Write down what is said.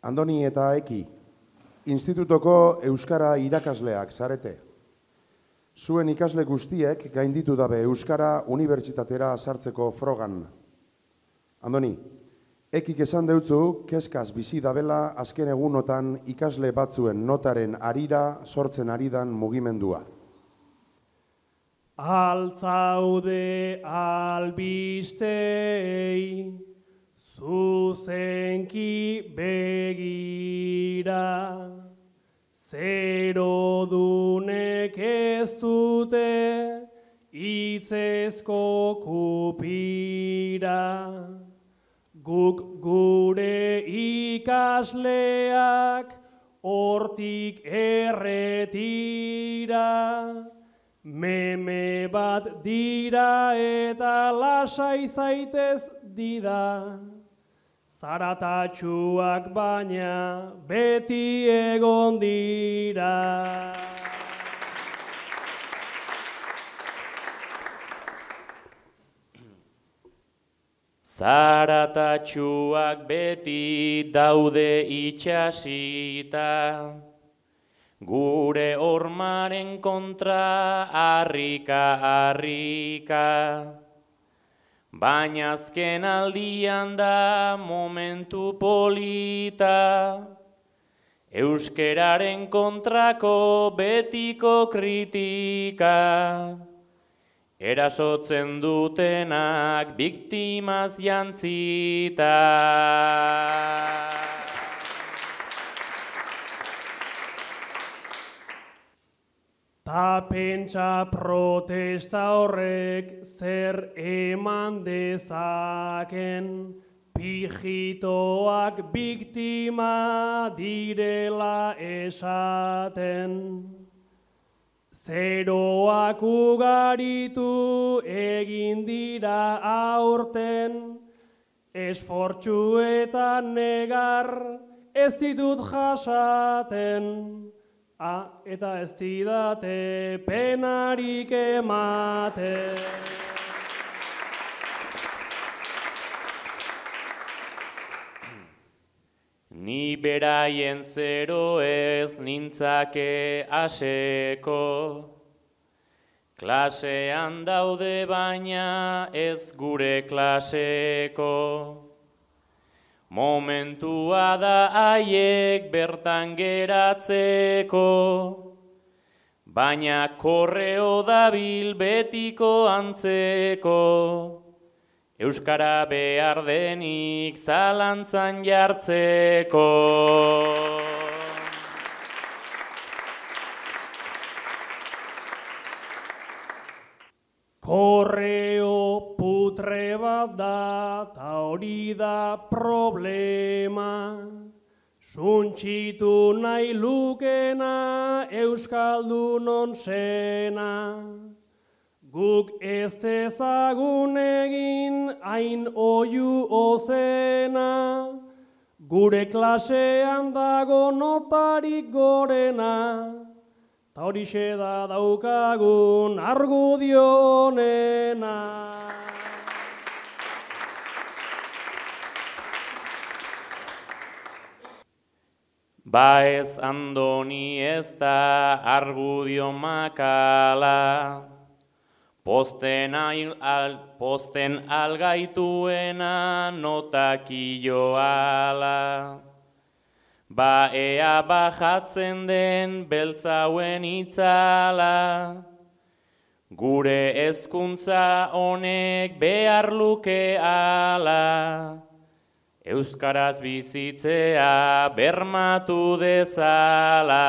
Andoni eta Eki, institutoko euskara irakasleak zarete. Zuen ikasle guztiek gainditu dabe euskara unibertsitatera sartzeko frogan. Andoni, Ekik esan deutzu, kezkaz bizi dabela azken egunotan ikasle batzuen notaren arira sortzen aridan mugimendua. Altzaude albistei, zuzenki begira, zerodunek ez dute hitzezko kupira. Guk gure ikasleak hortik erretira, meme bat dira eta lasai zaitez dida, zaratatsuak baina beti egon dira. Zaratatsuak beti daude itxasita, gure hormaren kontra harrika. Baina azken aldian da momentu polita, euskeraren kontrako betiko kritika. Erasotzen dutenak biktimaz jantzita. Ta pentsa protesta horrek zer eman dezaken, pijitoak biktima direla esaten. Zeroak ugaritu egin dira aurten, esfortzuetan negar ez ditut jasaten, eta ez didate penarik ematen. Ni beraien zero ez nintzake aseko, klasean daude baina ez gure klaseko. Momentua da haiek bertan geratzeko, baina korreo dabil betiko antzeko. Euskara behar denik zalantzan jartzeko. Korreo putre bat da, ta hori da problema. Suntxitu nahi lukena Euskaldunon zena. Guk ez dezagun egin hain oihu ozena, gure klasean dago notarik gorena, ta horixe da daukagun argudio honena. Ba ez Andoni ez da argudio makala, posten algaituena notakioala. Ba ea bajatzen den beltzauen itzala, gure hezkuntza honek behar luke ala, euskaraz bizitzea bermatu dezala.